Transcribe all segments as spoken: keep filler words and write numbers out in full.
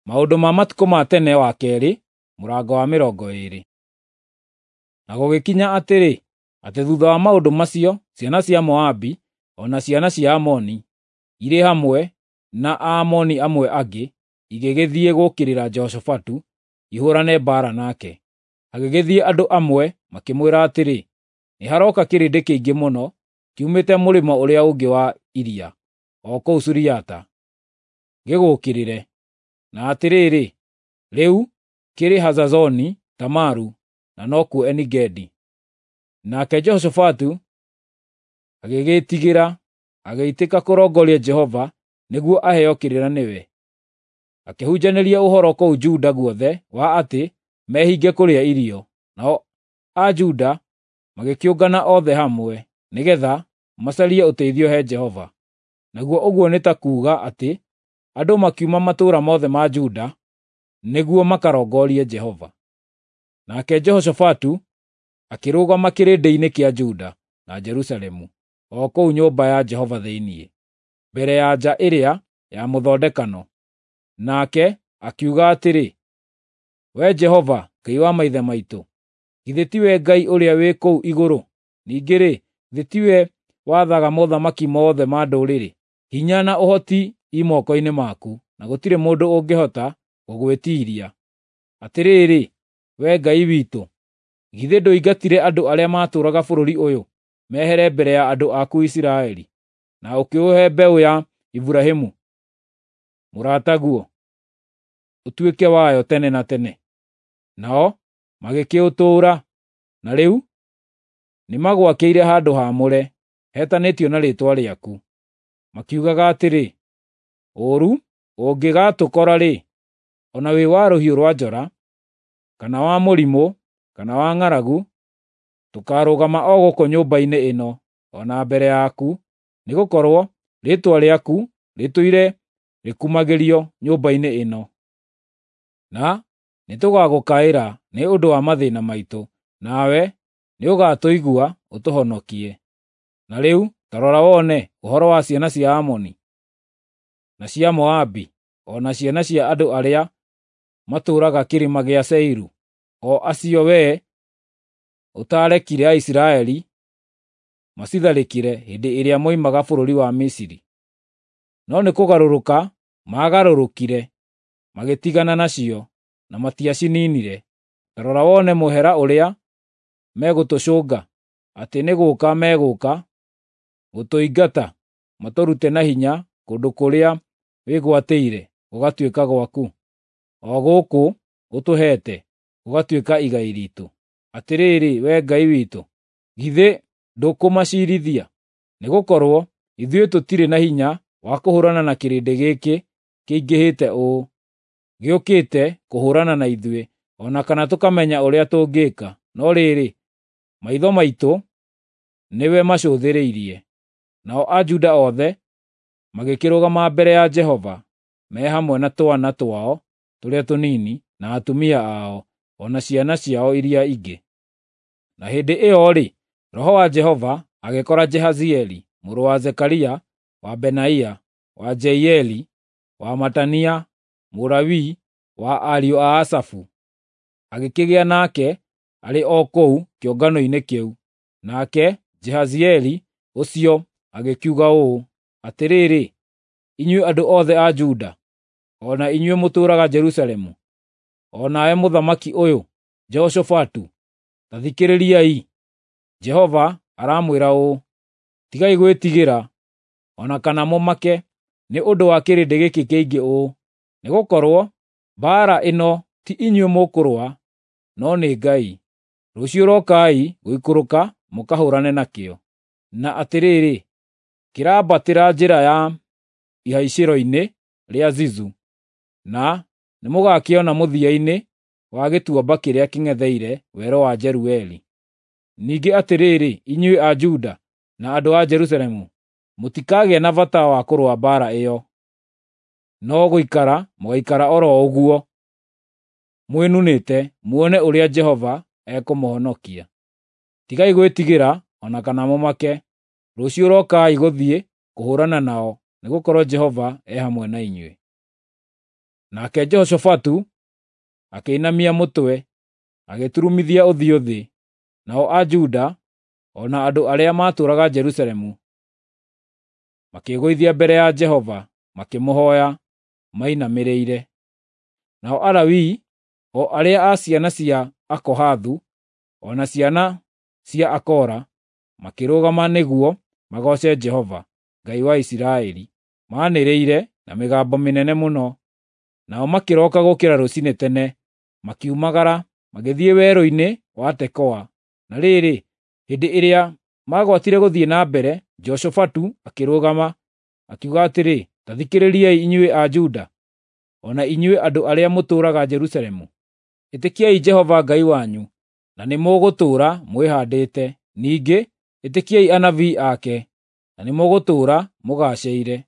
Maũndũ ma matukũ ma tene wa keerĩ mũrango wa mĩrongo ĩĩrĩ. Na gũgĩkinya atĩrĩ, atĩ thutha wa maũndũ macio, ciana cia Moabi o na ciana cia Amoni irĩ hamwe na Aamoni amwe angĩ igĩgĩthiĩ gũũkĩrĩra Jehoshafatu ihũũrane mbaara nake. Hagĩgĩthiĩ andũ amwe makĩmwĩra atĩrĩ, “Nĩ harooka kĩrĩndĩ kĩingĩ mũno kiumĩte mũrĩmo ũrĩa ũngĩ wa iria, o kũu Suriata, gĩgũũkĩrĩre. Na atĩrĩrĩ, rĩu kĩrĩ Hazazoni Tamaru, na nokuo Eni-Gedi.” Nake Jehoshafatu agĩgĩĩtigĩra, agĩitĩka kũrongoria Jehova nĩguo aheo kĩrĩra nĩwe. Akĩhunjanĩria ũhoro kũu Juda guothe wa atĩ mehinge kũrĩa irio, nao Ajuda magĩkĩũngana othe hamwe, nĩgeetha macarie ũteithio he Jehova. Naguo ũguo nĩ ta kuuga atĩ andũ makiuma matũũra mothe ma Juda nĩguo makarongorie Jehova. Nake Jehoshafatu akĩrũgama kĩrĩndĩ-inĩ kĩa Juda na Jerusalemu, o kũu nyũmba ya Jehova thĩinĩ, mbere ya nja ĩrĩa ya mũthondekano. Nake akiuga atĩrĩ, “Wee Jehova, Ngai wa maithe maitũ, githĩ tiwe Ngai ũrĩa wĩ kũu igũrũ? Ningĩ-rĩ, githĩ tiwe wathaga mothamaki mothe ma ndũrĩrĩ? Hinya na ũhoti i moko-inĩ maku, na gũtirĩ mũndũ ũngĩhota gũgwĩtiiria. Atĩrĩrĩ, Wee Ngai witũ, githĩ ndũingatire andũ arĩa maatũũraga bũrũri ũyũ mehere mbere ya andũ aku Isiraeli, na ũkĩũhe mbeũ ya Iburahĩmu mũrataguo ũtuĩke wayo tene na tene?” Nao magĩkĩũtũũra, na rĩu nĩmagwakĩire handũ haamũre, hetanĩtio na Rĩĩtwa rĩaku, makiugaga atĩrĩ, “Ũũru ũngĩgaatũkora-rĩ, o na wĩ wa rũhiũ rwa njora, kana wa mũrimũ, kana wa ng'aragu, tũkaarũgama o gũkũ nyũmba-inĩ ĩno, o na mbere yaku, nĩgũkorwo Rĩĩtwa rĩaku rĩtũire rĩkumagĩrio nyũmba-inĩ ĩno. Na nĩtũgagũkaĩra nĩ ũndũ wa mathĩĩna maitũ, nawe nĩũgatũigua ũtũhonokie. Na rĩu ta rora wone ũhoro wa ciana cia Amoni, na cia Moabi, o na ciana cia andũ arĩa matũũraga kĩrĩma gĩa Seiru, o acio wee ũtaarekire Aisiraeli macitharĩkĩre hĩndĩ ĩrĩa moimaga bũrũri wa Misiri. No nĩkũgarũrũka maagarũrũkire, magĩtigana nacio, na matiaciniinire. Ta rora wone mũhera ũrĩa megũtũcũnga, atĩ nĩ gũũka megũka gũtũingata matũrute na hinya kũndũ kũrĩa wĩgwatĩire gũgatuĩka gwaku, o gũkũ ũtũheete gũgatuĩka igai riitũ. Atĩrĩrĩ, Wee Ngai witũ, githĩ ndũkũmaciirithia? Nĩgũkorwo ithuĩ tũtirĩ na hinya wa kũhũũrana na kĩrĩndĩ gĩkĩ kĩingĩhĩte ũũ, gĩũkĩte kũhũũrana na ithuĩ, o na kana tũkamenya ũrĩa tũngĩĩka. No rĩrĩ, maitho maitũ nĩwe macũthĩrĩirie.” Nao Ajuda othe magĩkĩrũgama mbere ya Jehova, me hamwe na twana twao tũrĩa tũnini, na atumia ao, o na ciana ciao iria ingĩ. Na hĩndĩ ĩyo-rĩ, Roho wa Jehova agĩkora Jehazieli mũrũ wa Zekaria, wa Benaia, wa Jeieli, wa Matania, Mũlawii wa ariũ a Asafu. Agĩkĩgĩa nake arĩ o kũu kĩũngano-inĩ kĩu. Nake Jehazieli ũcio agĩkiuga ũũ, “Atĩrĩrĩ, inyuĩ andũ othe a Juda, o na inyuĩ mũtũũraga Jerusalemu, o nawe mũthamaki ũyũ Jehoshafatu, ta thikĩrĩriai! Jehova aramwĩra ũũ: Tigai gwĩtigĩra, o na kana mũmake nĩ ũndũ wa kĩrĩndĩ gĩkĩ kĩingĩ ũũ, nĩgũkorwo mbaara ĩno ti inyuĩ mũkũrũa, no nĩ Ngai. Rũciũ rokai gũikũrũka mũkahũũrane nakĩo. Na atĩrĩrĩ, kĩrambatĩra njĩra ya ihaicĩro-inĩ rĩa Zizu, na nĩmũgakĩona mũthia-inĩ wa gĩtuamba kĩrĩa kĩng'etheire werũ wa Jerueli. Ningĩ atĩrĩrĩ, inyuĩ a Juda na andũ a Jerusalemu, mũtikagĩa na bata wa kũrũa mbaara ĩyo, no gũikara mũgaikara o ro ũguo mwĩnunĩte muone ũrĩa Jehova ekũmũhonokia. Tigai gwĩtigĩra o na kana mũmake. Rũciũ rokai gũthiĩ kũhũũrana nao, nĩgũkorwo Jehova e hamwe na inyuĩ.” Nake Jehoshafatu akĩinamia mũtwe, agĩturumithia ũthiũ thĩ, nao Ajuda o na andũ arĩa maatũũraga Jerusalemu makĩĩgũithia mbere ya Jehova, makĩmũhooya mainamĩrĩire. Nao Alawii, o arĩa a ciana cia Akohathu, o na ciana cia Akora, makĩrũgama nĩguo magooce Jehova, Ngai wa Isiraeli, maanĩrĩire na mĩgambo mĩnene mũno. Nao makĩroka gũũkĩra rũciinĩ tene, makiumagara magĩthiĩ werũ-inĩ wa Tekoa. Na rĩrĩ, hĩndĩ ĩrĩa maagwatire gũthiĩ na mbere, Jehoshafatu akĩrũgama, akiuga atĩrĩ, “Ta thikĩrĩriai inyuĩ Ajuda, o na inyuĩ andũ arĩa mũtũũraga Jerusalemu. Ĩtĩkiai Jehova Ngai wanyu, na nĩmũgũtũũra mwĩhaandĩte; ningĩ ĩtĩkiai anabii ake, na nĩmũgũtũũra mũgaacĩire.”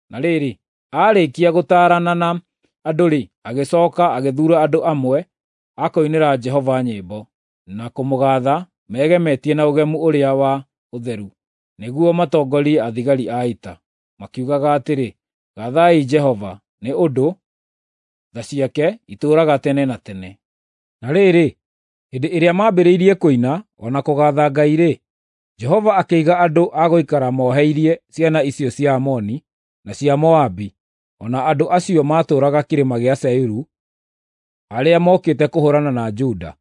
Na rĩrĩ, aarĩkia gũtaarana na andũ-rĩ, agĩcooka agĩthuura andũ amwe a kũinĩra Jehova nyĩmbo, na kũmũgaatha megemetie na ũgemu ũrĩa wa ũtheru, nĩguo matongorie athigari a ita, makiugaga atĩrĩ, “Gaathai Jehova, nĩ ũndũ tha ciake itũũraga tene na tene.” Na rĩrĩ, hĩndĩ ĩrĩa maambĩrĩirie kũina o na kũgaatha Ngai-rĩ, Jehova akĩiga andũ a gũikara moheirie ciana icio cia Amoni na cia Moabi, o na andũ acio maatũũraga kĩrĩma gĩa Seiru, arĩa mookĩte kũhũũrana na Juda,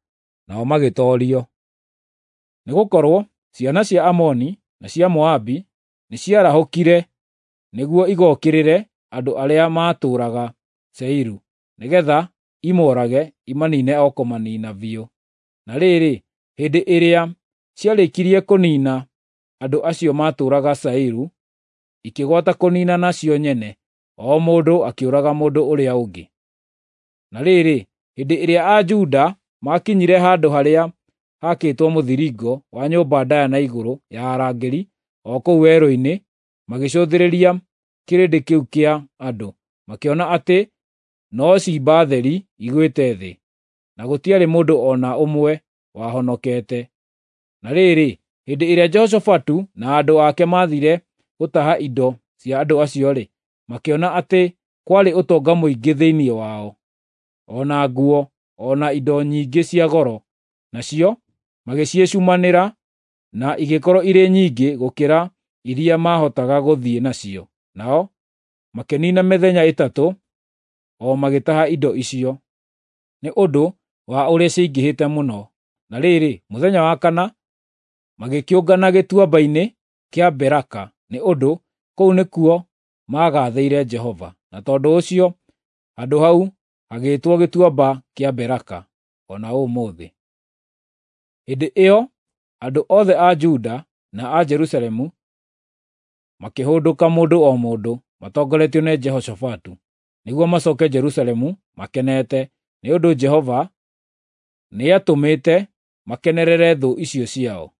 nao magĩtoorio. Nĩgũkorwo ciana cia Amoni na cia Moabi nĩciarahũkire nĩguo igookĩrĩre andũ arĩa maatũũraga Seiru, nĩgeetha imoorage imaniine o kũmaniina biũ. Na rĩrĩ, hĩndĩ ĩrĩa ciarĩkirie kũniina andũ acio maatũũraga Seiru, ikĩgwata kũniinana cio nyene, o mũndũ akĩũraga mũndũ ũrĩa ũngĩ. Na rĩrĩ, hĩndĩ ĩrĩa Ajuda maakinyire handũ harĩa haakĩtwo mũthiringo wa nyũmba ndaaya na igũrũ ya arangĩri o kũu werũ-inĩ, magĩcũthĩrĩria kĩrĩndĩ kĩu kĩa andũ, makĩona atĩ no ciimba theri igwĩte thĩ, na gũtiarĩ mũndũ o na ũmwe wahonokete. Na rĩrĩ, hĩndĩ ĩrĩa Jehoshafatu na andũ ake maathiire gũtaha indo cia andũ acio-rĩ, makĩona atĩ kwarĩ ũtonga mũingĩ thĩinĩ wao, o na nguo, o na indo nyingĩ cia goro, nacio magĩciĩcumanĩra na igĩkorwo irĩ nyingĩ gũkĩra iria maahotaga gũthiĩ nacio. Nao makĩniina mĩthenya ĩtatũ o magĩtaha indo icio, nĩ ũndũ wa ũrĩa ciaingĩhĩte mũno. Na rĩrĩ, mũthenya wa kana magĩkĩũngana gĩtuamba-inĩ kĩa Beraka, nĩ ũndũ kũu nĩkuo maagathĩire Jehova. Na tondũ ũcio handũ hau hagĩĩtwo Gĩtuamba kĩa Beraka o na ũmũthĩ. Hĩndĩ ĩyo andũ othe a Juda na a Jerusalemu makĩhũndũka mũndũ o mũndũ, matongoretio nĩ Jehoshafatu, nĩguo macooke Jerusalemu makenete, nĩ ũndũ Jehova nĩatũmĩte makenerere thũ icio ciao.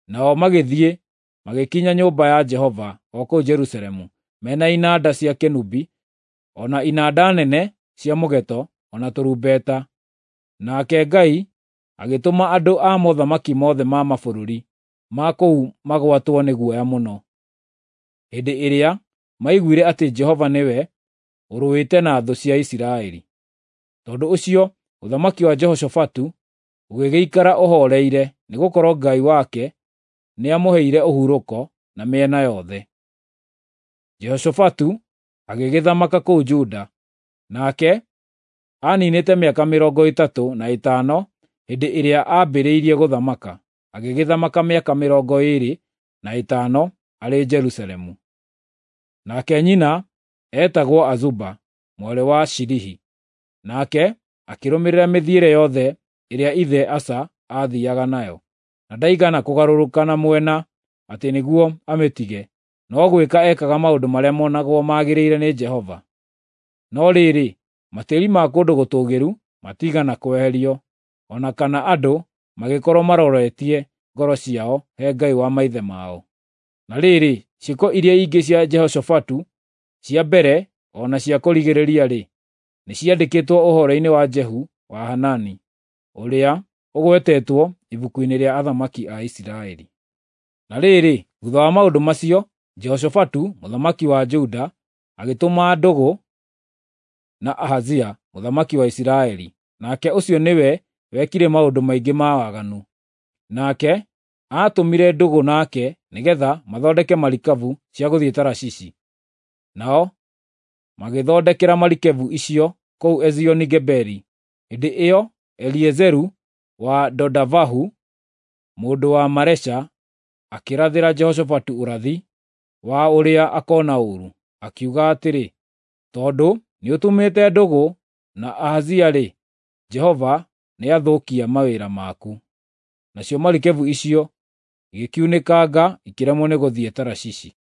Nao magĩthiĩ magĩkinya nyũmba ya Jehova o kũu Jerusalemu, mena inanda cia kĩnũbi, o na inanda nene cia mũgeeto, o na tũrumbeta. Nake Ngai agĩtũma andũ a mothamaki mothe ma mabũrũri ma kũu magwatwo nĩ guoya mũno, hĩndĩ ĩrĩa maiguire atĩ Jehova nĩwe ũrũĩte na thũ cia Isiraeli. Tondũ ũcio ũthamaki wa Jehoshafatu ũgĩgĩikara ũhooreire, nĩgũkorwo Ngai wake nĩamũheire ũhurũko na mĩena yothe. Jehoshafatu agĩgĩthamaka kũu Juda, nake aaniinĩte mĩaka mĩrongo ĩtatũ na ĩtano hĩndĩ ĩrĩa aambĩrĩirie gũthamaka, agĩgĩthamaka mĩaka mĩrongo ĩĩrĩ na ĩtano arĩ Jerusalemu. Nake nyina eetagwo Azuba mwarĩ wa Shilihi. Nake akĩrũmĩrĩra mĩthiĩre yothe ĩrĩa ithe Asa aathiiaga nayo, na ndaigana kũgarũrũka na mwena atĩ nĩguo amĩtige, no gwĩka ekaga maũndũ marĩa monagwo magĩrĩire nĩ Jehova. No rĩrĩ, matĩĩri ma kũndũ gũtũũgĩru matiigana kweherio, o na kana andũ magĩkorwo maroretie ngoro ciao he Ngai wa maithe mao. Na rĩrĩ, ciĩko iria ingĩ cia Jehoshafatu cia mbere o na cia kũrigĩrĩria-rĩ, nĩciandĩkĩtwo ũhoro-inĩ wa Jehu wa Hanani, ũrĩa ũgwetetwo ibuku-inĩ rĩa athamaki a Isiraeli. Na rĩrĩ, thuutha wa maũndũ macio, Jehoshafatu mũthamaki wa Juda agĩtũma ndũgũ na Ahazia mũthamaki wa Isiraeli, nake ũcio nĩwe wekire maũndũ maingĩ ma waganu. Nake aatumire ndũgũ nake nĩgeetha mathondeke marikabu cia gũthiĩ Tarashishi. Nao magĩthondekera marikabu icio kũu Ezioni-Geberi. Hĩndĩ ĩyo Eliezeru wa Dodavahu mũndũ wa Maresha akĩrathĩra Jehoshafatu ũrathi wa ũrĩa akoona ũũru, akiuga atĩrĩ, “Tondũ nĩũtumĩte ndũgũ na Ahazia-rĩ, Jehova nĩathũkia mawĩra maku.” Nacio marikabu icio igĩkiunĩkanga ikĩremwo nĩ gũthiĩ Tarashishi.